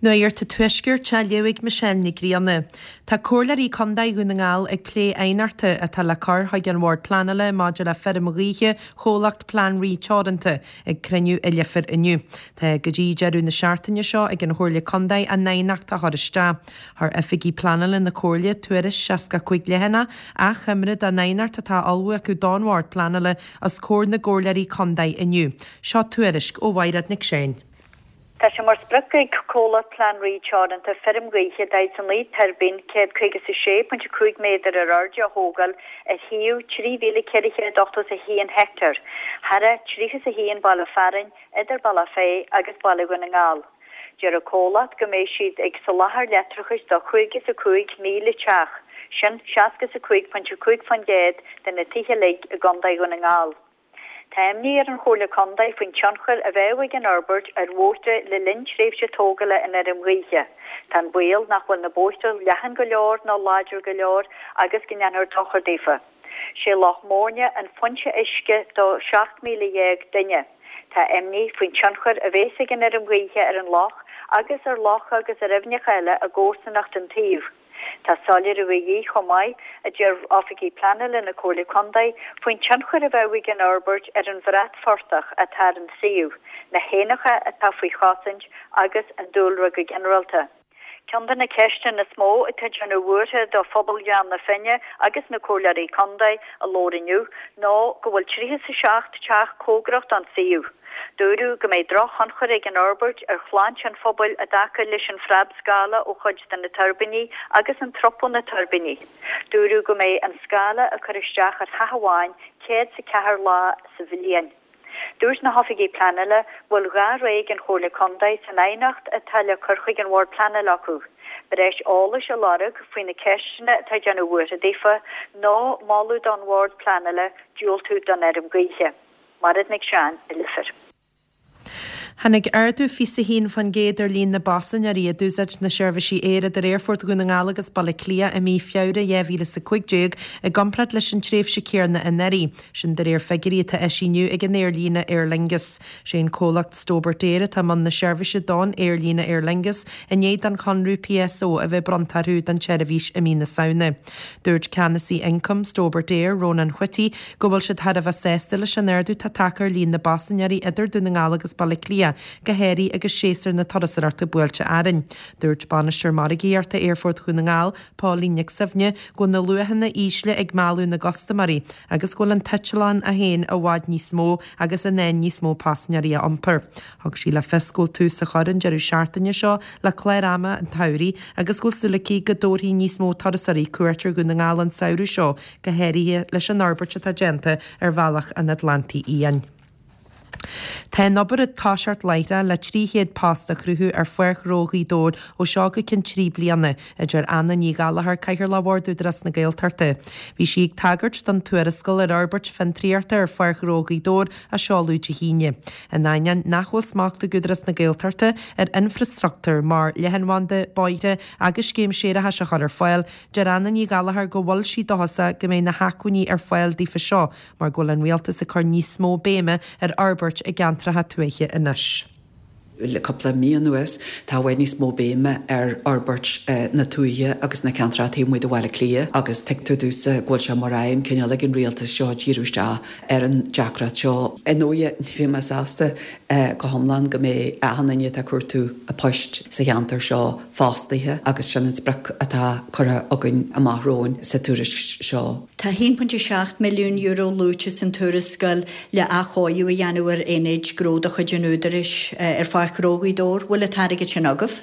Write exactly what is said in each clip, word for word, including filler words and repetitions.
Nuacht an Tuaiscirt á léamh ag Michelle Nic Grianna. Tá Comhairleoirí Contae Dhún na nGall ag plé aighneachta atá le cur chuig an Bhord Pleanála maidir le feirm ghaoithe chomhlacht Plean Rí Teoranta ag cruinniú i Leifear inniu. Tá go dtí deireadh na seachtaine seo ag an Chomhairle Contae a n-aighneacht a chur isteach. Chuir oifigigh pleanála na Comhairle tuairisc seasca cúig leathanach achoimre den aighneacht atá ullmhaithe acu don Bhord Pleanála os comhair na gComhairleoirí Contae inniu. Seo tuairisc ó Mhaighread Nic Seáin. Tá sé mar sprioc ag comhlacht Plean Rí Teoranta feirm ghaoithe daichead a naoi tuirbín céad caoga is a sé pointe cúig méadar ar airde a thógáil ar shuíomh trí mhíle ceithre chéad ochtó a haon heicteár, thar tríocha a haon baile fearainn idir Bealach Féich agus Baile Dhún na nGall. Deir an comhlacht go mbeidh siad ag soláthar leictreachais do chúig is a cúig míle teach, sin seasca a cúig pointe cúig faoin gcéad de na tithe uilig i gContae Dhún na nGall. Tá imní ar an Chomhairle Contae faoin tionchar a bheadh ag an fhorbairt ar bhóithre le linn tréimhse tógála an fheirm ghaoithe. Tá an baol nach bhfuil na bóithre leathan go leor ná láidir go leor agus go ndéanfar dochar daofa. Sé Loch Móirne an foinse uisce do seacht míle dhéag duine. Tá imní faoin tionchar a bheas ag an fheirm ghaoithe ar an loch agus ar locha agus ar aibhneacha eile i gcomharsanacht an tsuímh. Tá soiléiriú de dhíth chomh maith a deir oifigigh pleanála na Comhairle Contae faoin tionchar a bheadh ag an fhorbairt ar an bhratphortach atá ar an suíomh, na héanacha atá faoi chosaint agus an dúlra go ginearálta. Ceann de na ceisteanna is mó atá déanamh buartha do phobal Ghleann na Finne agus na Comhairleoirí Contae a labhair inniu ná go bhfuil tríocha a seacht teach cóngarach don suíomh. Dúradh go mbeidh drochthionchar ag an fhorbairt ar shláinte an phobail i dtaca leis an phreabscála ó chuid de na tuirbíní agus an trup ó na tuirbíní. Dúradh go mbeidh an scála ag cur isteach ar theach amháin céad is a ceathair lá sa bhliain. Dúirt na hoifigigh pleanála go bhfuil dhá rogha ag an Chomhairle Contae san aighneacht atá le cur chuig an Bhord Pleanála acu. Breis eolais a lorg faoi na ceisteanna atá ag déanamh buartha daofa nó moladh don Bhord Pleanála diúltú don fheirm ghaoithe. Mairéad Nic Seáin i Leifear. Tháinig ardú fiche a haon faoin gcéad ar líon na bpaisinéirí a d'úsáid na seirbhísí aeir idir Aerfort Dhún na nGall agus Baile Átha Cliath i mí Feabhra dhá mhíle is a cúig déag i gcomparáid leis an tréimhse céanna anuraidh. Sin de réir figiúirí atá eisithe inniu ag an aerlíne Aer Lingus. Sé an comhlacht Stobart Air atá i mbun na seirbhíse don aerlíne Aer Lingus i ndiaidh don chonradh PSO a bheith bronnta orthu don tseirbhís i mí na Samhna. Dúirt ceannasaí ioncaim Stobart Air Ronan Whitty go bhfuil siad thar a bheith sásta leis an ardú atá tagtha ar líon na bpaisinéirí idir Dún na nGall agus Baile Átha Cliath go háirithe agus séasúr na turasóireachta buailte orainn. Dúirt bainisteoir margaíochta Aerfort Dhún na nGall, Pauline Nic Suibhne, go bhfuil na luachanna ísle ag mealladh na gcustaiméirí agus go bhfuil an t-eitleán é féin i bhfad níos mó agus in ann níos mó paisinéirí a iompar. Thug sí le fios go bhfuil tús á chur an deireadh seachtaine seo le clár ama an tsamhraidh agus go bhfuil súil aici go dtabharfaidh níos mó turasóirí cuairt ar Dhún na nGall an samhradh seo go háirithe leis an fhorbairt atá déanta ar bhealach an Atlantaigh Fhiáin. Tá an obair ag toiseacht láithreach le trí chéad post a chruthú ar Pháirc Ghnó Ghaoth Dobhair ó seo go ceann trí bliana, a deir Anna Ní Ghallchóir, Cathaoirleach Bhord Údarás na Gaeltachta. Bhí sí ag tagairt don tuarascáil ar fhorbairt fiontraíochta ar Pháirc Ghnó Ghaoth Dobhair a seoladh Dé hAoine. In ainneoin nach bhfuil smacht ag Údarás na Gaeltachta ar infreastruchtúr mar leathanbhanda, bóithre agus scéim séarachais a chur ar fáil, deir Anna Ní Ghallchóir go bhfuil sí dóchasach go mbeidh na hacmhainní ar fáil daofa seo, mar go bhfuil an rialtas ag cur níos mó béime ar fhorbairt i gceantracha tuaithe anois. Le cúpla mí anuas tá i bhfad níos mó béime ar fhorbairt na tuaithe agus na ceantracha taobh amuigh de Bhaile Átha Cliath agus tuigtear domhsa go bhfuil sé mar aidhm cineál ag an rialtas seo díriú isteach ar an deacracht seo. Ar ndóigh ní bheidh mé sásta go hiomlán go mbeidh achan duine atá ag cuartú poist sa cheantar seo fostaithe agus sin an sprioc atá curtha againn amach romhainn sa tuairisc seo. Tá haon pointe seacht milliún euro luaite san tuarascáil le athchóiriú a dhéanamh ar aonaid gnó de chuid an Údaráis ar Pháirc Ghnó Ghaoth Dobhair. Bhfuil an t-airgead sin agaibh?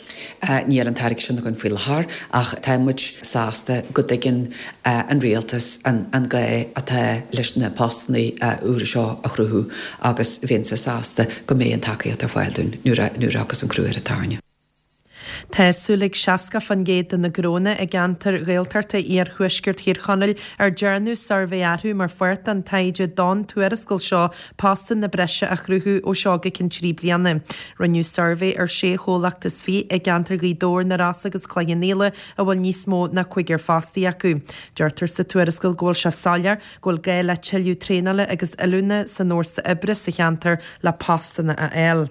Níl an t-airgead sin againn faoi láthair ach tá muid sásta go dtuigeann an rialtas an gá atá leis na postanna úra seo a chruthú agus bheinnse sásta go mbeidh an tacaíocht ar fáil dúinn nuair a nuair a thiocfas an crú ar an tairne. Tá súil ag seasca faoin gcéad de na gnónna i gceantar Ghaeltachta iarthuaisceart Thír Chonaill ar dearnadh suirbhé orthu mar pháirt den taighde don tuarascáil seo postanna breise a chruthú ó seo go ceann trí bliana. Rinneadh suirbhé ar sé chomhlacht is fiche i gceantar Ghaoth Dobhair, na Rosa agus Cloich Cheann Fhaola a bhfuil níos mó ná cúigear fostaí acu. Deirtear sa tuarascáil go bhfuil sé soiléir go bhfuil gá le tuilleadh traenála agus oiliúna san fhórsa oibre sa cheantar le postanna a fháil.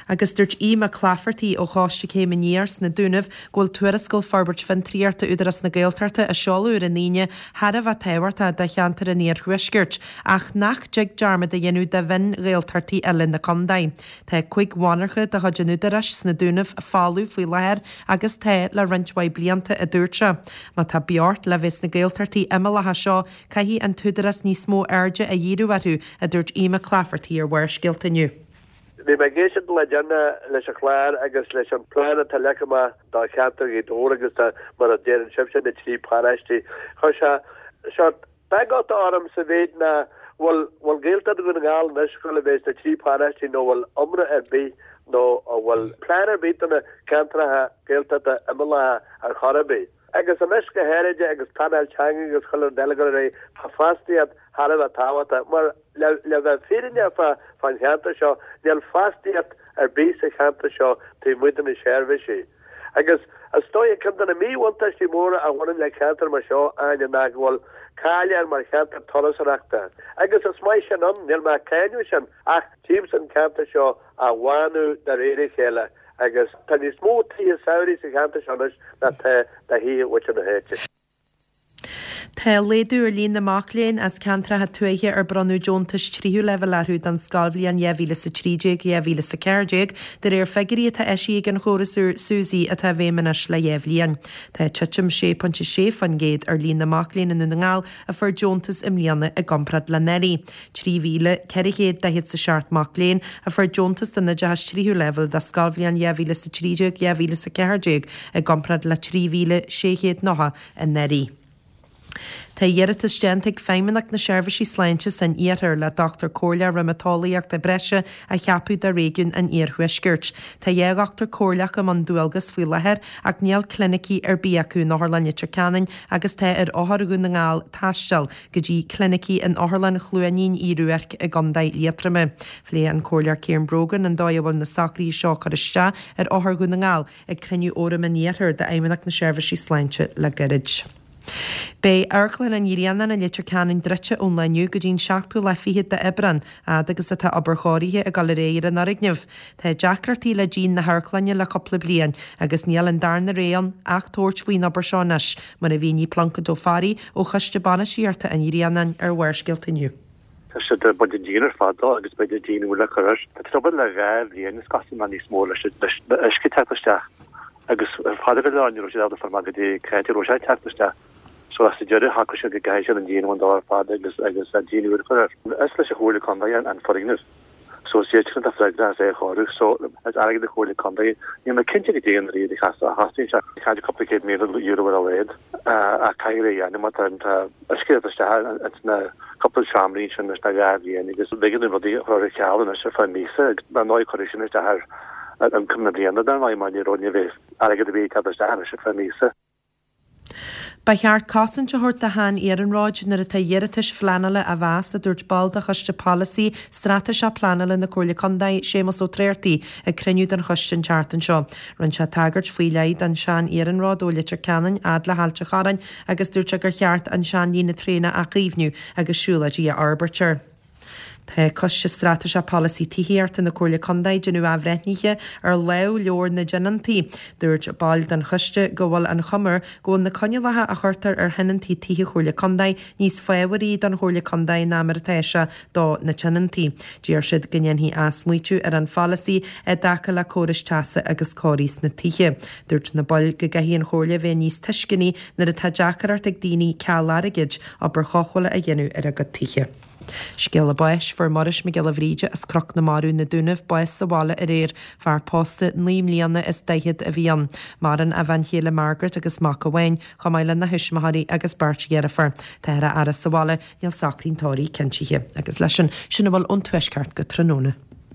Agus dúirt Aodh Mac Laifeartaigh ó Choiste Céim Aniar sna Dúnaibh go bhfuil tuarascáil Forbairt Fiontraíochta Údarás na Gaeltachta a seoladh ar an Aoine thar a bheith tábhachtach do cheantar an Iarthuaiscirt ach nach dtig dearmad a dhéanamh de mhion-Ghaeltachtaí eile na contae. Tá cúig mhonarcha de chuid an Údaráis sna Dúnaibh folamh faoi láthair agus tá le roinnt mhaith blianta, a dúirt sé. Má tá beocht le bheith sna Gaeltachtaí imeallacha seo, caithfidh an tÚdarás níos mó airde a dhíriú orthu, a dúirt Aodh Mac Laifeartaigh ar Bharrscéalta inniu. Bhí mé ag éisteacht le deireanas leis an chlár agus leis an plean atá leagtha amach do cheantar Ghaoth Dobhair agus do, mar a deireann sibhse, na trí paráistí. Chuir sé seort beagáta orm sa mhéid ná bhfuil bhfuil Gaeltacht Dhún na nGall anois ag dul a bheith sna trí paráistí nó bhfuil iomrá ar bith nó an bhfuil plean ar bith do na ceantracha Gaeltachta imeallacha ar chor ar bith. Agus anois go háirid agus pleanáil teanga agus chuile rud eile ag dul ar aghaidh, tá fostaíocht thar a bheith tábhachtach mar le le bheith fírinneach fá fán cheantar seo, níl fostaíocht ar bith sa cheantar seo taobh amuigh de na seirbhísí. Agus is dóigh ceann de na míbhuntáistí móra a bhaineann le ceantar mar seo, Áine, ná go bhfuil cáil air mar cheantar turasóireachta. Agus is maith sin ann, níl mé ag cáineadh sin, ach tchímse an ceantar seo á bhánú de réir a chéile agus tá níos mó tithe samhraidh sa cheantar seo anois ná tá de thithe mhuintir na háite. Tá laghdú ar líon na mac léinn as ceantracha tuaithe ar bronnadh deontais tríú leibhéal orthu don scoilbhliain dhá mhíle is a trí déag, dhá mhíle is a ceathair déag, de réir figiúirí atá eisithe ag an chóras úr SUSI atá i bhfeidhm anois le dhá bhliain. Tá titim sé pointe sé faoin gcéad ar líon na mac léinn i nDún na nGall a fuair deontas i mbliana i gcomparáid le anuraidh. trí mhíle ceithre chéad daichead is a seacht mac léinn a fuair deontas don oideachas tríú leibhéal do scoilbhliain dhá mhíle is a trí déag, dhá mhíle is a ceathair déag i gcomparáid le trí mhíle sé chéad nócha anuraidh. Tá iarratas déanta ag Feidhmeannacht na Seirbhísí Sláinte san Iarthar le dochtúir comhairleach riomatólaíochta breise a cheapadh do réigiún an Iarthuaiscirt. Tá dhá dhochtúir comhairleach i mbun dualgas faoi láthair ach níl clinicí ar bith acu in Otharlann Leitir Ceanainn agus tá ar othair Dhún na nGall taisteal go dtí clinicí in Otharlann Chluainín Uí Ruairc i gContae Liatroma. Phléigh an Comhairleoir Ciaran Brogan an dóigh a bhfuil na socruithe seo ag cur isteach ar othair Dhún na nGall ag cruinniú Fhóram an Iarthair d'Fheidhmeannacht na Seirbhísí Sláinte le gairid. Beidh Amharclann an Ghrianáin i Leitir Ceanainn druidte ón lá inniu go dtí an seachtú lá fichead d'Aibreán, fhad agus atá obair chóirithe ag dul ar aghaidh ar an fhoirgneamh. Tá deacrachtaí le díon na hamharclainne le cúpla bliain agus níl an darna rogha ann ach tabhairt faoin obair seo anois, mar a mhínigh Pluincéad Ó Fearraigh ó Choiste Bainistíochta an Ghrianáin ar Bharrscéalta inniu. Tá siad ag baint an díon ar fad dó agus beidh díon úr le cur air. Tá trioblóid le dhá bhliain is cosúil nó níos mó leis an uisce teacht isteach agus ar fad go leor ní raibh siad ábalta fáil amach goidé cá háit a raibh sé ag teacht isteach. So sa deireadh shocraigh siad go gcaithfidh siad an díon a bhaint dó ar fad agus agus díon úr a chur air. Is leis an Chomhairle Contae an foirgneamh. So is iadsan atá freagrach as é a chóiriú. So is airgead na Comhairle Contae. Níl mé cinnte goidé an méid a chostaíonn sé. Caint cúpla céad míle euro ar a laghad. Ach caithfear é a dhéanamh má tá tá uisce ag teacht isteach ins na cúpla seomraí ansin leis na dhá bhliain agus b'éigean dúinn rudaí a chur ar ceal anois ar feadh míosa agus dar ndóigh cuirfidh sin isteach ar ar ioncam na bliana dar ndóigh mar ní raibh ní bheidh airgead ar bith ag teacht isteach anois ar feadh míosa. Ba cheart cosaint a thabhairt do shean-iarnróid nuair atá iarratais phleanála á mheas, a dúirt ball de Choiste Polasaí Straitéiseach Pleanála na Comhairle Contae, Séamus Ó Tráchtaigh, ag cruinniú den choiste an tseachtain seo. Rinne sé tagairt faoi leith don sean-iarnród ó Leitir Ceanainn fhad le hAilt an Chorráin agus dúirt sé gur cheart an seanlíne traenach a chaomhnú agus siúlóidí a fhorbairt air. Tá Coiste Straitéiseach Polasaí Tithíochta na Comhairle Contae ag déanamh athbhreithnithe ar lámhleabhar na dtionóntaí. Dúirt baill den choiste go bhfuil an chuma air go bhfuil na coinníollacha a chuirtear ar thionóntaí tithe Chomhairle Contae níos fábharaí don Chomhairle Contae ná mar atá sé do na tionóntaí. D'iarr siad go ndéanfaí athsmaoitiú ar an pholasaí i dtaca le córais teasa agus cóirí sna tithe. Dúirt na baill go gcaithfidh an Chomhairle bheith níos tuisceanaí nuair atá deacracht ag daoine ceal airgid obair chothabhála a dhéanamh ar a gcuid tithe. Scéala báis, Fuair Muiris Mac Giolla Bhríde as Cnoc na Marbh, Na Dúnaibh, bás sa bhaile aréir. Fear pósta naoi mbliana is daichead a bhí ann. Maireann a bhean chéile Margaret agus mac amháin, chomh maith lena thuismitheoirí agus beirt dheirfiúr. Táthar á fhaire sa bhaile, níl socrú an tórraimh cinntithe. Agus leis sin, sin a bhfuil ón Tuaisceart go tráthnóna.